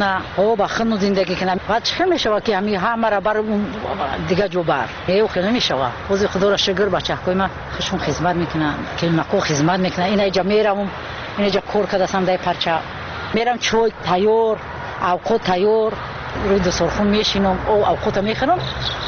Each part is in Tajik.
Ба хуну зиндагӣ кунам. Баъд чӣ мешавад, ки ҳами ҳамара бар дига ҷо бар хеле намешавад. Ҳозир, худоро шукр, бачаҳои ман хушон хизмат мекунанд, келинако хизмат мекунанд. Инаҷа меравам, инаҷа кор кардасам, дай парча мерам, чой тайёр, авқот тайёр, рӯи дастархон мешинам, авқота мехӯрам,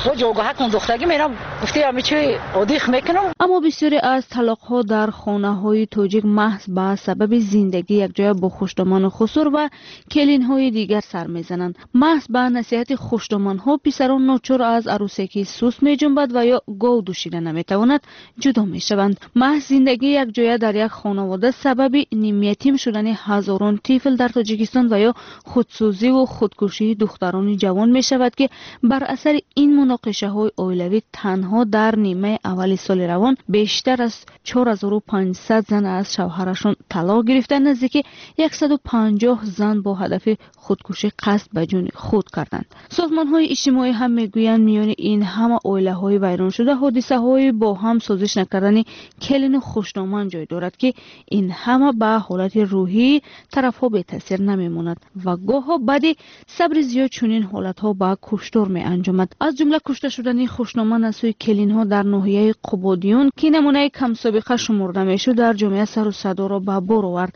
бо ҷойгоҳакон духтагӣ мерам, гуфти ҳами чи одих мекунам. Аммо бисёре аз талоқҳо дар хонаҳои тоҷик маҳз ба сабаби зиндагӣ якҷоя бо хушдоману хусур ва келинҳои дигар сар мезананд. Маҳз ба насиҳати хушдоманҳо писарон ночор аз арӯсе, ки суст меҷунбад ва ё гов дӯшида наметавонад, ҷудо мешаванд. Маҳз зиндагии якҷоя дар як хонавода сабаби нимятим шудани ҳазорон тифл дар Тоҷикистон ва ё худсӯзиву худкушии духтарони ҷавон мешавад, ки бар асари ин муноқишаҳои оилавӣ танҳо дар нимаи аввали соли равон бештар аз 4500 зан аз шавҳарашон талоқ гирифта, наздики 150 зан бо ҳадафи худкушӣ қасд ба ҷони худ карданд. Созмонҳои иҷтимоӣ ҳам мегӯянд, миёни ин ҳама оилаҳои вайроншуда ҳодисаҳои бо ҳам созиш накардани келину хушдоман ҷой дорад, ки ин ҳама ба ҳолати рӯҳии тарафҳо бетаъсир намемонад ва гоҳо баъди сабри зиёд чунин ҳолатҳо ба куштор меанҷомад. Аз ҷумла кушта шудани хушноман аз сӯи келинҳо дар ноҳияи Қубодиён, ки намунаи камсобиқа шумурда мешуд, дар ҷомеа сару садоро ба бор овард.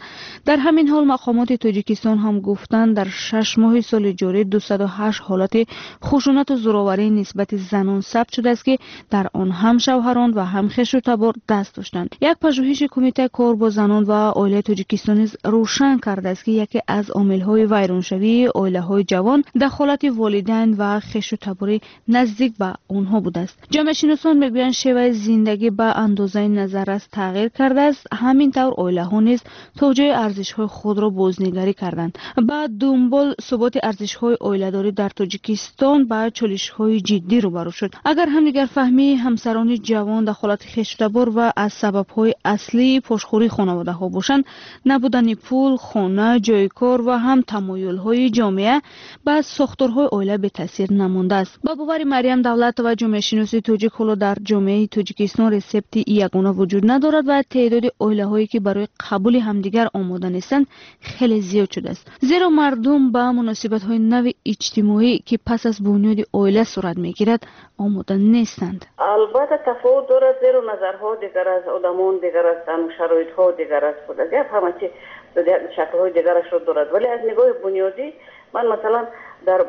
Дар ҳамин ҳол мақомоти Тоҷикистон ҳам гуфтанд, дар 6 моҳи соли ҷорӣ 208 ҳолати хушунату зӯроварӣ нисбати занон сабт шудааст, ки дар он ҳам шавҳарон ва ҳам хешу табор даст доштанд. Як пажӯҳиши Кумитаи кор бо занон ва оилаи Тоҷикистон низ рӯшан кардааст, ки яке аз омилҳои вайроншавии оилаҳои ҷавон дахолати волидайн ва хешу табори наздик ба онҳо будааст. Ҷомеашиносон мегӯянд, шеваи зиндагӣ ба андозаи назаррас тағйир кардааст, ҳамин тавр оилаҳо низ то ҷои арзишҳои худро бознигарӣ карданд. Ба дунбол суботи арзишҳои оиладорӣ дар Тоҷикистон ба чолишҳои ҷиддӣ рӯбарӯ шуд. Агар ҳамдигарфаҳмии ҳамсарони ҷавон, дахолати хешутабор ва аз сабабҳои аслии пошхӯрии хонаводаҳо бошанд, набудани пул, хона, ҷойи кор ва ҳам тамоюлҳои ҷомеа ба сохторҳои оила бетаъсир намондааст. Ба бовари Марьям Давлатова, ҷомеашиноси тоҷик, ҳоло дар ҷомеаи Тоҷикистон ресепти ягона вуҷуд надорад ва теъдоди оилаҳое, ки барои қабули ҳамдигар омода нестанд, хеле зиёд шудааст, зеро мардум ба муносибатҳои нави иҷтимоӣ, ки пас аз бунёди оила сурат мегирад, омода нестанд. Албатта, тафовут дорад, зеро назарҳо дигар аст, одамон дигар ҳастанд, шароитҳо дигар аст, гап ҳама чи шаклҳои дигарашро дорад. Вале аз нигоҳи бунёдӣ ман, масалан, дар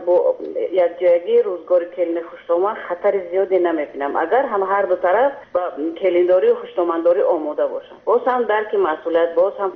якҷоягии рӯзгори келини хушдоман хатари зиёде намебинам, агар ҳам ҳар ду тараф ба келиндорию хушдомандорӣ омода бошанд, боз ҳам дарки масъулият, боз ҳам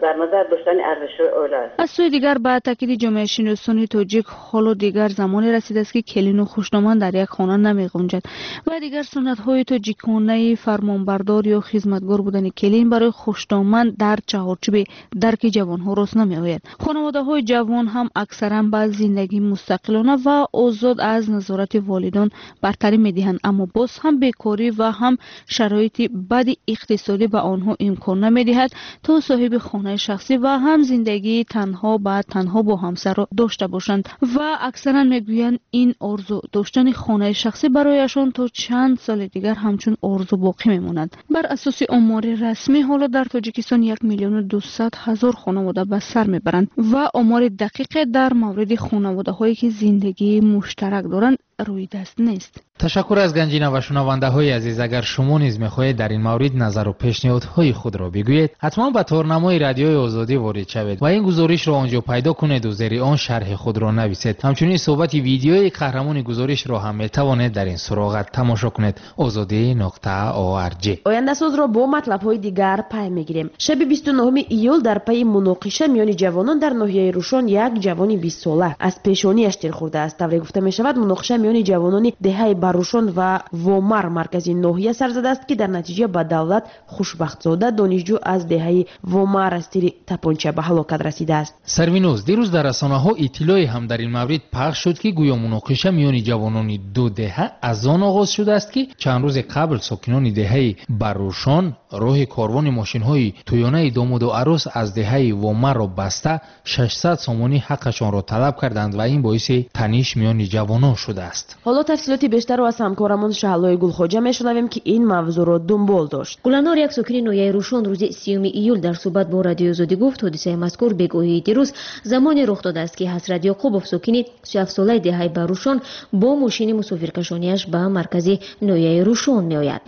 дар назар доштани арзишҳои оила аст. Аз сӯи дигар, ба таъкиди ҷомеашиносони тоҷик, ҳоло дигар замоне расидааст, ки келину хушдоман дар як хона намеғунҷад ва дигар суннатҳои тоҷиконаи фармонбардор ё хизматгор будани келин барои хушдоман дар чаҳорчӯби дарки ҷавонҳо рост намеояд. Хонаводаҳои ҷавон ҳам аксаран ба зиндагии мустақилона ва озод аз назорати волидон бартарӣ медиҳанд, аммо боз ҳам бекорӣ ва ҳам шароити бади иқтисодӣ ба онҳо имкон намедиҳад, то соҳиби хонаи шахсӣ ва ҳам зиндагии танҳо ба танҳо бо ҳамсарро дошта бошанд. Ва аксаран мегӯянд, ин орзу доштани хонаи шахсӣ барояшон то чанд соли дигар ҳамчун орзу боқӣ мемонад. Бар асоси омори расмӣ, ҳоло дар Тоҷикистон 1 200 000 хонавода ба сар мебаранд ва омори дақиқе дар мавриди хонаводаҳое, ки зиндагии муштарак доранд, рӯи даст нест. Ташаккур аз Ганҷина. Ва шунавандаҳои азиз, агар шумо низ мехоҳед дар ин маврид назару пешниҳодҳои худро бигӯед, ҳатман ба торнамои Радиои Озодӣ ворид шавед ва ин гузоришро он ҷо пайдо кунеду зери он шарҳи худро нависед. Ҳамчунин суҳбати видеои қаҳрамони гузоришро ҳам метавонед дар ин суроға тамошо кунед: озодӣ.org. Ояндасозро бо матлабҳои дигар пай мегирем. Шаби 29 июл дар пайи муноқиша миёни ҷавонон дар ноҳияи Рӯшон як ҷавони 20-сола аз пешониаш тир хӯрдааст. Тавре гуфта мешавад, муноқиша миёни ҷавонони деҳаи Баррушон ва Вомар, маркази ноҳия, сар задааст, ки дар натиҷа ба Давлат Хушбахтзода, донишҷӯ аз деҳаи Вомар, аз тири тапонча ба ҳалокат расидааст. Сарвиноз, дирӯз дар расонаҳо иттилоъе ҳам дар ин маврид пахш шуд, ки гӯё муноқиша миёни ҷавонони ду деҳа аз он оғоз шудааст, ки чанд рӯзе қабл сокинони деҳаи Баррушон роҳи корвони мошинҳои тӯёнаи домоду арӯс аз деҳаи Вомарро баста, 600 сомонӣ ҳаққашонро талаб карданд ва ин боиси таниш миёни ҷавонон шудааст. шудааст. Ҳоло тафсилоти бештарро аз ҳамкорамон Шаҳлои Гулхоҷа мешунавем, ки ин мавзӯъро дунбол дошт. Гуланор, як сокини ноҳияи Рӯшон, рӯзи 30 июл дар суҳбат бо Радиои Озодӣ гуфт, ҳодисаи мазкур бегоҳии дирӯз замоне рух додааст, ки Ҳасрат Ёқубов, сокини 37-солаи деҳаи Барӯшон, бо мошини мусофиркашонияш ба маркази ноҳияи Рӯшон меояд.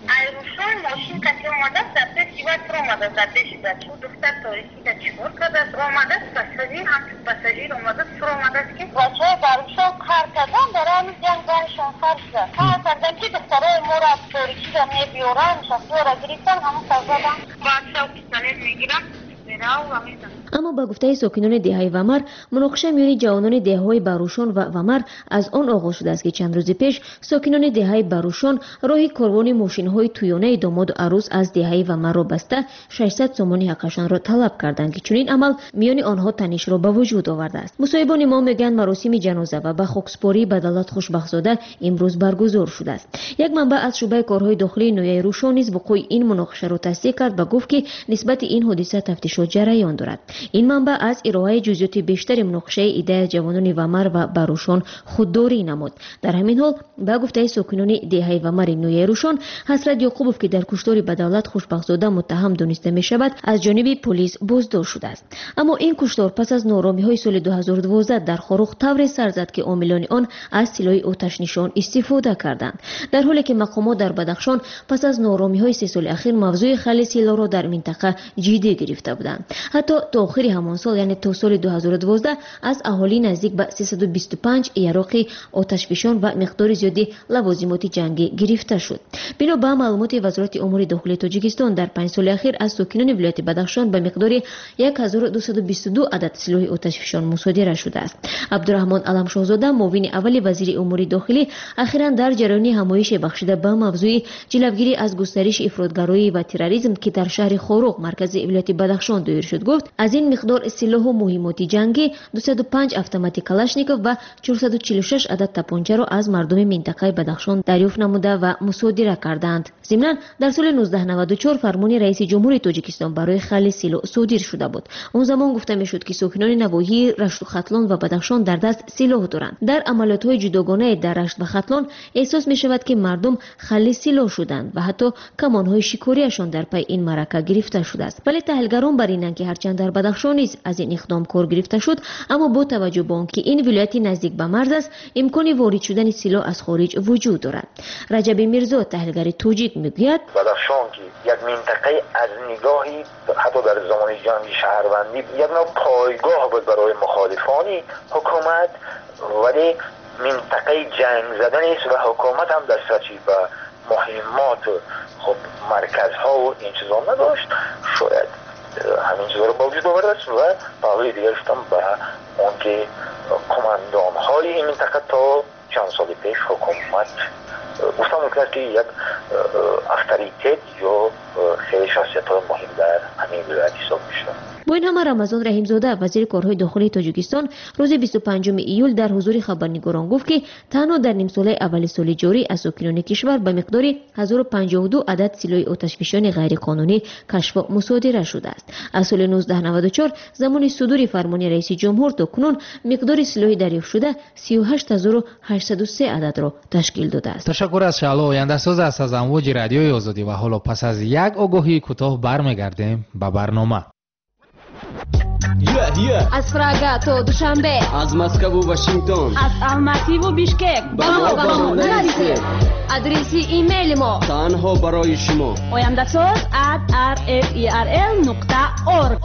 Аммо ба гуфтаи сокинони деҳаи Вамар, муноқиша миёни ҷавонони деҳаҳои Барӯшон ва Вамар аз он оғоз шудааст, ки чанд рӯзи пеш сокинони деҳаи Барӯшон роҳи корвони мошинҳои тӯёнаи домоду арӯс аз деҳаи Вамарро баста 600 сомони ҳаққашонро талаб карданд, ки чунин амал миёни онҳо танишро ба вуҷуд овардааст. Мусоҳибони мо мегӯянд, маросими ҷаноза ва ба хокспорӣ ба Давлат Хушбахтзода имрӯз баргузор шудааст. Як манбаъ аз шӯъбаи корҳои дохилии ноҳияи Рӯшон низ вуқӯи ин муноқишаро тасдиқ кард ва гуфт, ки нисбати ин ҳодиса тафтишот ҷараён дорад. Ин манбаъ аз ироаи ҷузъиёти бештари муноқишаи иддаи ҷавонони Вамар ва Барӯшон худдорӣ намуд. Дар ҳамин ҳол, ба гуфтаи сокинони деҳаи Вамари ноҳияи Рӯшон, Ҳасрат Ёқубов, ки дар куштори ба Давлат Хушбахтзода муттаҳам дониста мешавад, аз ҷониби полис боздошт шудааст. Аммо ин куштор пас аз нооромиҳои соли 2012 дар Хоруғ тавре сар зад, ки омилони он аз силоҳи оташнишон истифода карданд. Дар ҳоле ки мақомот дар Бадахшон пас аз нооромиҳои 3 соли ахир мавзӯи халли силоҳро дар минтақа ҷиддӣ гирифта буданд. Ҳатто то охири ҳамон сол, яъне то соли 2012, аз аҳолӣ наздик ба 325 яроқи оташфишон ва миқдори зиёди лавозимоти ҷангӣ гирифта шуд. Бино ба маълумоти Вазорати умури дохилии Тоҷикистон, дар 5 соли ахир аз сокинони вилояти Бадахшон ба миқдори 1222 адад силоҳи оташфишон мусодира шудааст. Абдураҳмон Аламшоҳзода, муовини аввали вазири умури дохилӣ, ахиран дар ҷараёни ҳамоише бахшида ба мавзӯи ҷилавгирӣ аз густариши ифротгароӣ ва терроризм, ки дар шаҳри Хоруғ, маркази вилояти Бадахшон доир шуд, гуфт, аз ин миқдор силоҳу муҳимоти ҷангӣ 205 автомати Калашников ва 446 адад тапончаро аз мардуми минтақаи Бадахшон дарёфт намуда ва мусодира карданд. Зимнан, дар соли 1994 фармони раиси ҷумҳури Тоҷикистон барои халли силоҳ содир шуда буд. Он замон гуфта мешуд, ки сокинони навоҳии Рашту Хатлон ва Бадахшон дар даст силоҳ доранд. Дар амалиётҳои ҷудогонае дар Рашт ва Хатлон эҳсос мешавад, ки мардум халли силоҳ шуданд ва ҳатто камонҳои шикориашон дар пайи ин маърака гирифта шудааст. Вале таҳлилгарон бар инанд, ки ҳарчанд дар Бадахшон низ аз ин иқдом кор гирифта шуд, аммо бо таваҷҷӯҳ ба он ки ин вилояти наздик ба марз аст, имкони ворид шудани силоҳ аз хориҷ вуҷуд дорад. Раҷаби Мирзо, таҳлилгари тоҷик, мегӯяд: Бадахшон, ки як минтақаи аз нигоҳи ҳатто дар замони ҷанги шаҳрвандӣ як навъ пойгоҳ буд барои мухолифони ҳукумат, вале минтақаи ҷанг зада нест ва ҳукумат ҳам дастрасӣ ба муҳиммот, хуб, марказҳо ва ин чизо надошт, шояд ҳамин чизҳоро ба вуҷуд овардааст. Ва паҳлӯи дигараш ҳам ба он ки командонҳои ин минтақа то чанд соли пеш ҳукумат гуфта мумкин аст, ки як авторитет ё хеле шахсиятҳои муҳим дар ҳамин вилоят ҳисоб мешуданд. Бо ин ҳама, Рамазон Раҳимзода, вазири корҳои дохилии Тоҷикистон, рӯзи 25 июл дар ҳузури хабарнигорон гуфт, ки танҳо дар нимсолаи аввали соли ҷорӣ аз сокинони кишвар ба миқдори 1052 адад силоҳи оташфишони ғайриқонунӣ кашфу мусодира шудааст. Аз соли 1994, замони судури фармони раиси ҷумҳур, то кунун миқдори силоҳи дарёфтшуда 38803 ададро ташкил додааст. Ташаккур аз Шаҳло. Ояндасоз аст аз амвоҷи Радиои Озодӣ ва ҳоло пас аз як огоҳии кӯтоҳ бармегардем ба барнома. Аз Прага то Душанбе, аз Москву Вашингтон, аз Алмативу Бишкек ба мо нависед. Адреси имейли мо танҳо барои шумо: ояндасоз@rferl.org.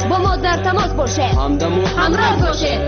Бо мо дар тамос бошед, ҳамдаму ҳамроз бошед.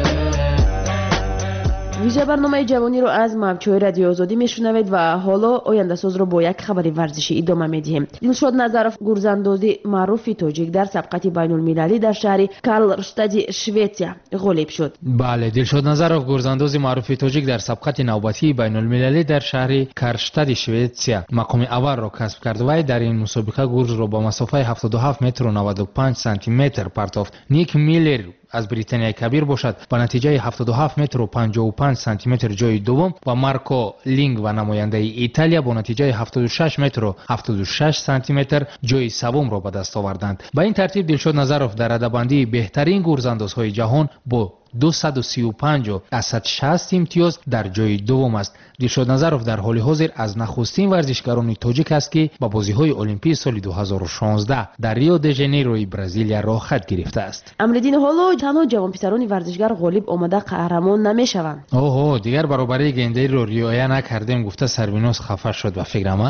Вижа барномаи ҷавониро аз мавҷҳои Радиои Озодӣ мешунавед ва ҳоло ояндасозро бо як хабари варзишӣ идома медиҳем. Дилшод Назаров, гурзандози маъруфи тоҷик, дар сабқати байнулмилалӣ дар шаҳри Карлштади Шветсия ғолиб шуд. Бале, Дилшод Назаров, гурзандози маъруфи тоҷик, дар сабқати навбатии байнулмилалӣ дар шаҳри Карштади Шветсия мақоми аввалро касб кард. Вай дар ин мусобиқа гурзро ба масофаи 77 метру 95 сантиметр партофт. Ник Миллер аз Британияи Кабир бошад, ба натиҷаи 77 метру 55 сантиметр ҷои дуввум ва Марко Лингва, намояндаи Италия, бо натиҷаи 76 метру 76 сантиметр ҷои севумро ба даст оварданд. Ба ин тартиб, Дилшод Назаров дар радабандии беҳтарин гурзандозҳои ҷаҳон бо 235,60 имтиёз дар ҷои дуввум аст. Дилшод Назаров дар ҳоли ҳозир аз нахустин варзишгарони тоҷик аст, ки ба бозиҳои Олимпии соли 2016 дар Рио де Жанейрои Бразилия роҳхат гирифтааст. Амриддин, ҳоло танҳо ҷавонписарони варзишгар ғолиб омада қаҳрамон намешаванд. Оҳо, дигар баробарии гендериро риоя накардем гуфта Сарвиноз хафа шуд ба фикрам.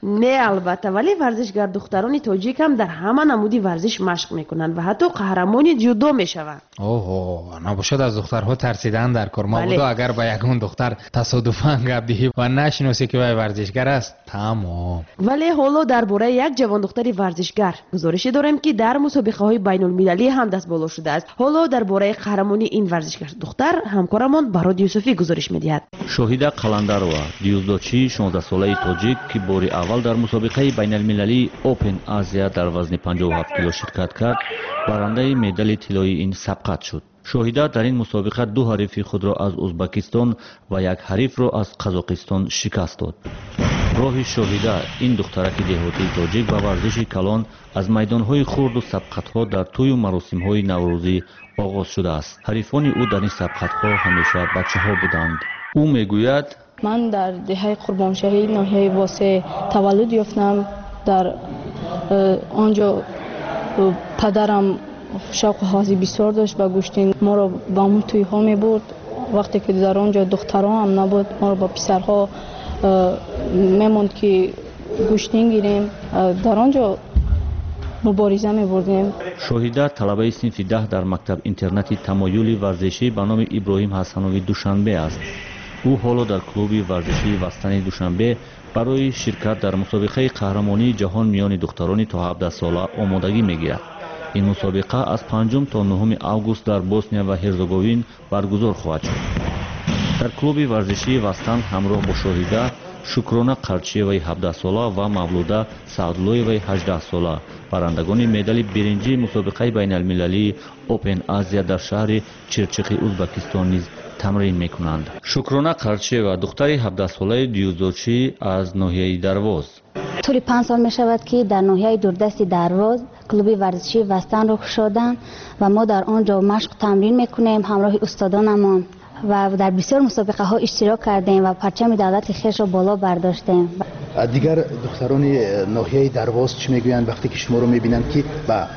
Не, албатта, вале варзишгар духтарони тоҷик ҳам дар ҳама намуди варзиш машқ мекунанд ва ҳатто қаҳрамони ҷудо мешаванд. Оҳо, набошад аз духтарҳо тарсидан дар кор. Мабодо агар ба ягон духтар тасодуфан гап диҳӣ ва нашиносӣ, ки вай варзишгар аст, тамом. Вале ҳоло дар бораи як ҷавондухтари варзишгар гузорише дорем, ки дар мусобиқаҳои байнулмилалӣ ҳам дастболо шудааст. Ҳоло дар бораи қаҳрамонии ин варзишгар духтар ҳамкорамон Барод Юсуфӣ гузориш медиҳад. Шоҳида Қаландарова, дюздочии 16-солаи тоҷик, ки бори аввал дар мусобиқаи байналмилалии Open Азия дар вазни 57 кило ширкат кард, барандаи медали тиллоии ин сабқат шуд. Шоҳида дар ин мусобиқа ду ҳарифи худро аз Узбакистон ва як ҳарифро аз Қазоқистон шикаст дод. Роҳи Шоҳида, ин духтараки деҳотии тоҷик, ба варзиши калон аз майдонҳои хурду сабқатҳо дар тӯю маросимҳои наврӯзӣ оғоз шудааст. Ҳарифони ӯ дар ин сабқатҳо ҳамеша бачаҳо буданд. Ӯ мегӯяд: Ман дар деҳаи Қурбоншаҳӣ, ноҳияи Восе таваллуд ёфтам. Дар он ҷо падарам шавқу ҳаваси бисёр дошт ба гӯштин, моро ба он тӯйҳо мебурд. Вақте ки дар он ҷо духтарон ҳам набуд, моро ба писарҳо мемонд, ки гӯштин гирем, дар он ҷо мубориза мебурдем. Шоҳида талабаи синфи 10 дар мактаб интернати тамоюли варзишӣ ба номи Иброҳим Ҳасанови Душанбе аст. Ӯ ҳоло дар клуби варзишии Вастани Душанбе барои ширкат дар мусобиқаи қаҳрамонии ҷаҳон миёни духтарони то 17 сола омодагӣ мегирад. Ин мусобиқа аз 5 то 9 август дар Босния ва Ҳерзеговин баргузор хоҳад шуд. Дар клуби варзишии Вастан ҳамроҳ бо Шоҳида Шукрона Қарчиеваи 17-сола ва Мавлуда Саъдуллоеваи 18-сола, барандагони медали биринҷии мусобиқаи байналмилалии Open Азия дар шаҳри Чирчиқи Узбакистон низ тамрин мекунанд. Шукрона Қарчиева духтари 17-солаи дюздочӣ аз ноҳияи Дарвоз. Тӯли 5 сол мешавад, ки дар ноҳияи дурдасти Дарвоз клуби варзишии Вастанро кушоданд ва мо дар он ҷо машқ тамрин мекунем ҳамроҳи устодонамон ва дар бисёр мусобиқаҳо иштирок кардем ва парчами давлати хешро боло бардоштем. Дигар духтарони ноҳияи Дарвоз чӣ мегӯянд, вақте ки шуморо мебинанд, ки ба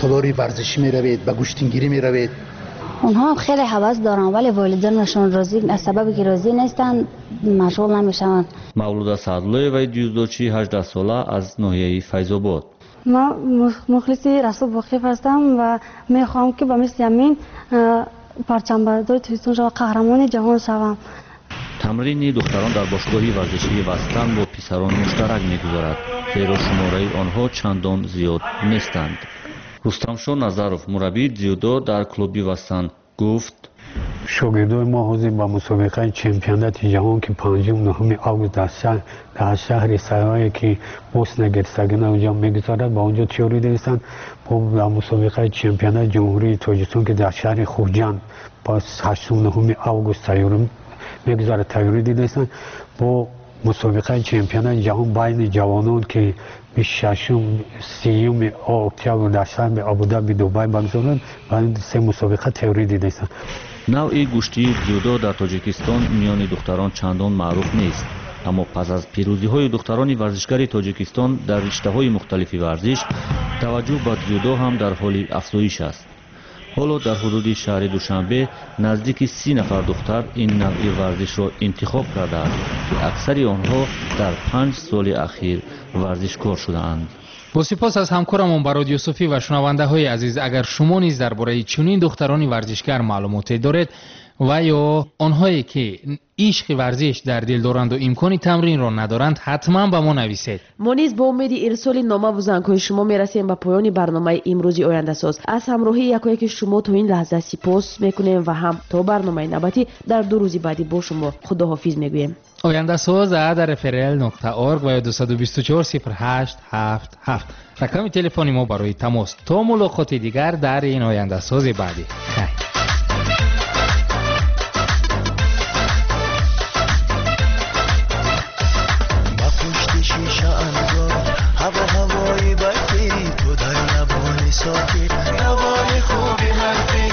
толори варзишӣ меравед, ба гӯштингирӣ меравед? Онҳо ҳам хеле ҳавас доранд, вале волидонашон розӣ, аз сабаби ки розӣ нестанд, машғул намешаванд. Мавлуда Саъдуллоеваи дюздочии 18-сола аз ноҳияи Файзобод. Ман мухлиси Расул Боқиев ҳастам ва мехоҳам, ки ба мисли ҳамин парчамбардори Тоҷикистон шавам, қаҳрамони ҷаҳон шавам. Тамрини духтарон дар бошгоҳи варзишии Вастан бо писарон муштарак мегузарад, зеро шумораи онҳо чандон зиёд нестанд. Рустамшо Назаров, мураббии дзюдо дар клуби Вастан, гуфт: Шогирдои мо ҳозир ба мусобиқаи чемпионати ҷаҳон, ки 5-9 август дар шаҳри Сарае, ки Босния Герцеговина онҷо мегузарад, ба онҷо тиёрӣ диданд. Дар мусобиқаи чемпионати ҷумҳурии Тоҷикистон, ки дар шаҳри Хуҷанд ба 8-9 август мегузарад, тайёрӣ дидастанд. Бо мусобиқаи чемпионати ҷаҳон байни ҷавонон, ки 26-30 октябр дар шаҳри Абудаби Дубай баргузоранд, ба ин се мусобиқа тайёрӣ дидастанд. Навъи гӯштии дзюдо дар Тоҷикистон миёни духтарон чандон маъруф нест, аммо пас аз пирӯзиҳои духтарони варзишгари Тоҷикистон дар риштаҳои мухталифи варзиш, таваҷҷӯҳ ба дзюдо ҳам дар ҳоли афзоиш аст. Ҳоло дар ҳудуди шаҳри Душанбе наздики 30 нафар духтар ин навъи варзишро интихоб кардааст, ки аксари онҳо дар 5 соли ахир варзишкор шудаанд. Бо сипос аз ҳамкорамон Барод Юсуфӣ ва шунавандаҳои азиз, агар шумо низ дар бораи чунин духтарони варзишгар маълумоте доред ва ё онҳое ки ишқи варзиш дар дил доранду имкони тамринро надоранд, ҳатман ба мо нависед. Мо низ бо умеди ирсоли номаву зангҳои шумо мерасем ба поёни барномаи имрӯзи Ояндасоз. Аз ҳамроҳии якояки шумо то ин лаҳза сипос мекунем ва ҳам то барномаи навбатӣ дар 2 рӯзи баъдӣ бо шумо худоҳофиз мегӯем. Ояндасоз @rfrl.org ва ё 224 08 77 рақами телефони мо барои тамос. То мулоқоти дигар дар ин Ояндасози баъдӣ. Хайр. Сокит, навои хуби ҳарфи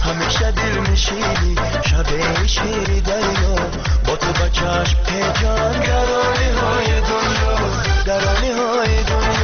ҳамеша дил мешавад. кашидӣ шабе шири дарё бо ту ба чашм печон. Гарониҳои дунё, гарониҳои дунё.